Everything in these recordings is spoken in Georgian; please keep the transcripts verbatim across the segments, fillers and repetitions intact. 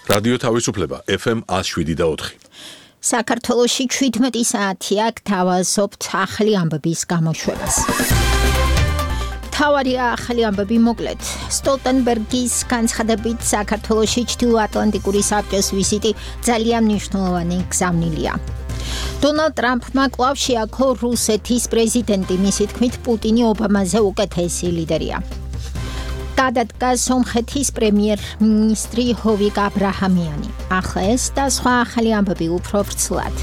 რადიო თავისუფლება ეფ ემ one oh seven და four. საქართველოში seventeen საათია გთავაზობთ ახალი ამბების გამოშვებას. თავარი ახალი ამბები მოკლედ. სტოლტენბერგის განცხადებით საქართველოში ჩრდილოატლანტიკური საბჭოს ვიზიტი ძალიან მნიშვნელოვანი გზავნილია. დონალდ ტრამპმა კვლავ შეაქო რუსეთის პრეზიდენტი, მისი თქმით პუტინი ობამაზე უკეთესი ლიდერია. გადადგა სომხეთის პრემიერ-მინისტრი ჰოვიკ აბრაჰამიანი. ახლა ეს და სხვა ახალი ამბები უფრო ვრცლად.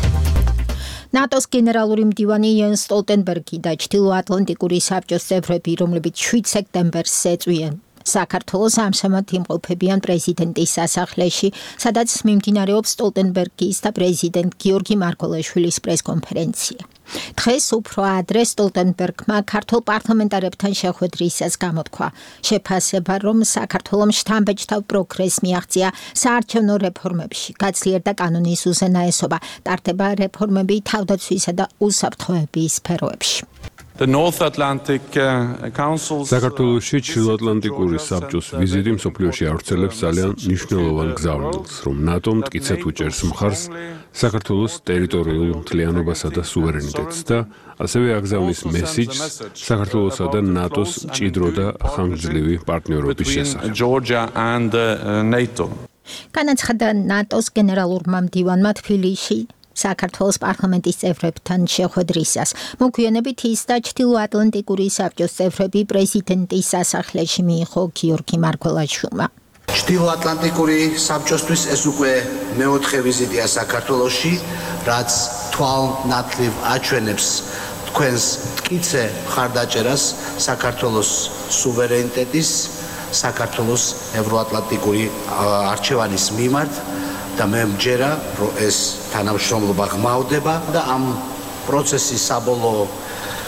ნატოს გენერალური მდივანი იენს სტოლტენბერგი და ჩრდილოატლანტიკური საბჭოს წევრები, რომლებიც seven სექტემბერს ეწვიან საქართველოს ამჟამად იმყოფებიან პრეზიდენტის სასახლეში, სადაც მიმდინარეობს სტოლტენბერგის და პრეზიდენტ გიორგი მარგველაშვილის პრესკონფერენცია. დღეს უფრო ადრე სტოლტენბერგმა ქართულ პარლამენტარებთან შეხვედრისას გამოთქვა შეფასება, რომ საქართველოს შთამბეჭდავ პროგრესს მიაღწია საარჩევნო რეფორმებში, გაძლიერდა კანონის უზენაესობა, ტარდება რეფორმები თავდაცვისა და უსაფრთხოების სფეროებში. საქართველოში ჩრდილოატლანტიკური საბჭოს ვიზიტი მსოფლიოში ავრცელებს ძალიან მნიშვნელოვან გზავნილს, რომ ნატო მტკიცედ უჭერს მხარს საქართველოს ტერიტორიულ მთლიანობასა და სუვერენიტეტს და ასევე აგზავნის მესიჯს საქართველოსა და ნატოს მჭიდრო და ხანგრძლივი პარტნიორობის შესახებ. განაცხადა ნატოს გენერალურმა მდივანმა თბილისში საქართველოს პარლამენტის წევრებთან შეხვედრისას. მოგვიანებით ის და ჩრდილოატლანტიკური საბჭოს წევრები პრეზიდენტის სასახლეში მიიღო გიორგი მარგველაშვილმა. ჩრდილოატლანტიკური საბჭოსთვის ეს უკვე მეოთხე ვიზიტია საქართველოში, რაც თვალნათლივ აჩვენებს თქვენს მტკიცე მხარდაჭერას საქართველოს სუვერენიტეტის, საქართველოს ევროატლანტიკური არჩევანის მიმართ. და მე მჯერა, რომ ეს თანამშრომლობა ღმავდება და ამ პროცესის საბოლოო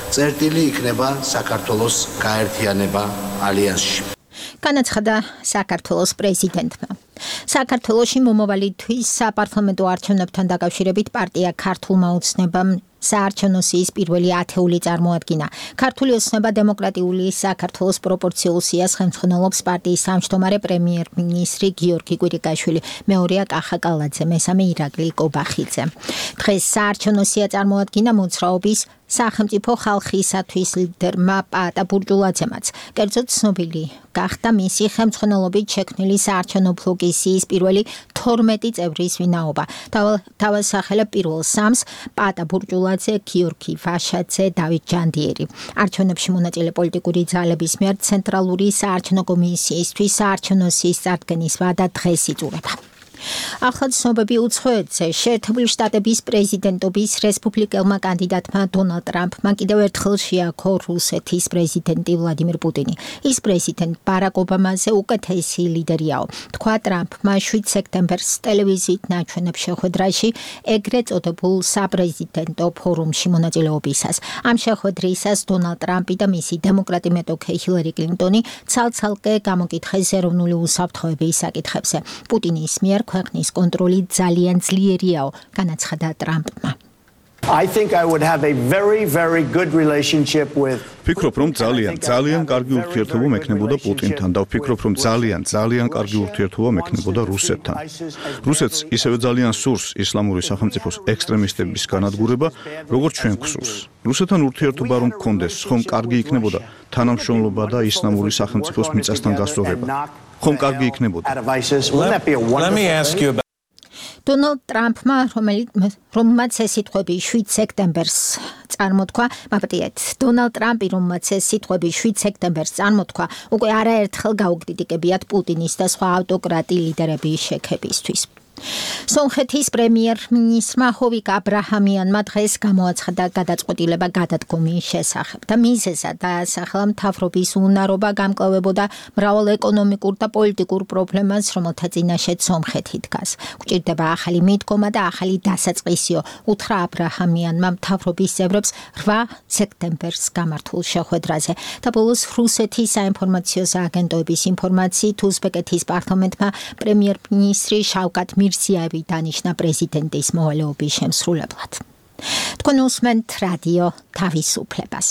წერტილი იქნება საქართველოს გაერთიანება ალიანსში. განაცხადა საქართველოს პრეზიდენტმა. საქართველოში მომავალი თვის საპარლამენტო არჩევნებთან დაკავშირებით პარტია ქართულმა ოცნებამ საარჩევნო სიის პირველი ათეული წარმოადგინა. ქართული ოცნება დემოკრატიული საქართველოს პროპორციულ სიას ხელმძღვანელობს პარტიის თავმჯდომარე პრემიერ-მინისტრი გიორგი კვირიკაშვილი, მეორეა კახა კალაძე, მესამე ირაკლი კობახიძე. დღეს საარჩევნო სია წარმოადგინა მოძრაობის სახელმწიფო ხალხისათვის ლიდერმა პაატა ბურჯულაძემაც. კერძოდ ცნობილი გახდა მისი ხელმძღვანელობით შექმნილი საარჩევნო ბლოკის სიის პირველი თორმეტი წევრის ვინაობა. თავისახელებ პირველ სამს პაატა ბურჯულაძე, გიორგი ვაშაძე, დავით ჯანდიერი. არჩევნებში მონაწილე პოლიტიკური ძალების მიერ ცენტრალური საარჩევნო კომისიისთვის საარჩევნო სიის წარდგენის ვადა დღეს იწურება. ახლა ცნობები უცხოეთზე. შეერთებული შტატების პრეზიდენტობის რესპუბლიკელმა კანდიდატმა დონალდ ტრამპმა კიდევ ერთხელ შეაქო რუსეთის პრეზიდენტი ვლადიმირ პუტინი. ის პრეზიდენტ ბარაკ ობამაზე უკეთესი ლიდერიაო, თქვა ტრამპმა seven სექტემბერს ტელევიზიით ნაჩვენებ შეხვედრაში ეგრეთ წოდებულ საპრეზიდენტო ფორუმში მონაწილეობისას. ამ შეხვედრისას დონალდ ტრამპი და მისი დემოკრატი მეტოქე ჰილარი კლინტონი ცალ-ცალკე გამოკითხეს ეროვნული უსაფრთხოების საკითხებზე. პუტინის მიერ ქვეყნის კონტროლი ძალიან ძლიერიაო, განაცხადა ტრამპმა. I think I would have a very very good relationship with ვფიქრობ, რომ ძალიან, ძალიან კარგი ურთიერთობა მექნებოდა პუტინთან და ვფიქრობ, რომ ძალიან, ძალიან კარგი ურთიერთობა მექნებოდა რუსეთთან. რუსეთს ისევე ძალიან სურს ისლამური სახელმწიფოს ექსტრემისტების განადგურება, როგორც ჩვენ გვსურს. რუსეთთან ურთიერთობა რომ გქონდეს, ხომ კარგი იქნებოდა თანამშრომლობა და ისლამური სახელმწიფოს მიწასთან გასწორება. ხომ კარგი იქნებოდა. დონალდ ტრამპმა, რომელმაც ეს სიტყვები seven სექტემბერს წარმოთქვა, მაპატიეთ, დონალდ ტრამპი, რომელმაც ეს სიტყვები seven სექტემბერს წარმოთქვა, უკვე არაერთხელ გაუკრიტიკებიათ პუტინის და სხვა ავტოკრატი ლიდერების შექებისთვის. სომხეთის პრემიერ-მინისტრმა ჰოვიკ აბრაჰამიანმა დღეს გამოაცხადა გადაწყვეტილება გადადგომის შესახებ და მიზეზად დაასახელა მთავრობის უნარობა გამკლავებოდა მრავალ ეკონომიკურ და პოლიტიკურ პრობლემას, რომელთა წინაშეც სომხეთი დგას. გვჭირდება ახალი მიდგომა და ახალი დასაწყისიო, უთხრა აბრაჰამიანმა მთავრობის წევრებს eight სექტემბერს გამართულ შეხვედრაზე და ბოლოს რუსეთის საინფორმაციო სააგენტოების ინფორმაციით უზბეკეთის პარლამენტმა პრემიერ-მინისტრი შავკატ მირზიევი დანიშნა პრეზიდენტის მოვალეობის შემსრულებლად. თქვენ უსმენთ რადიო თავისუფლებას.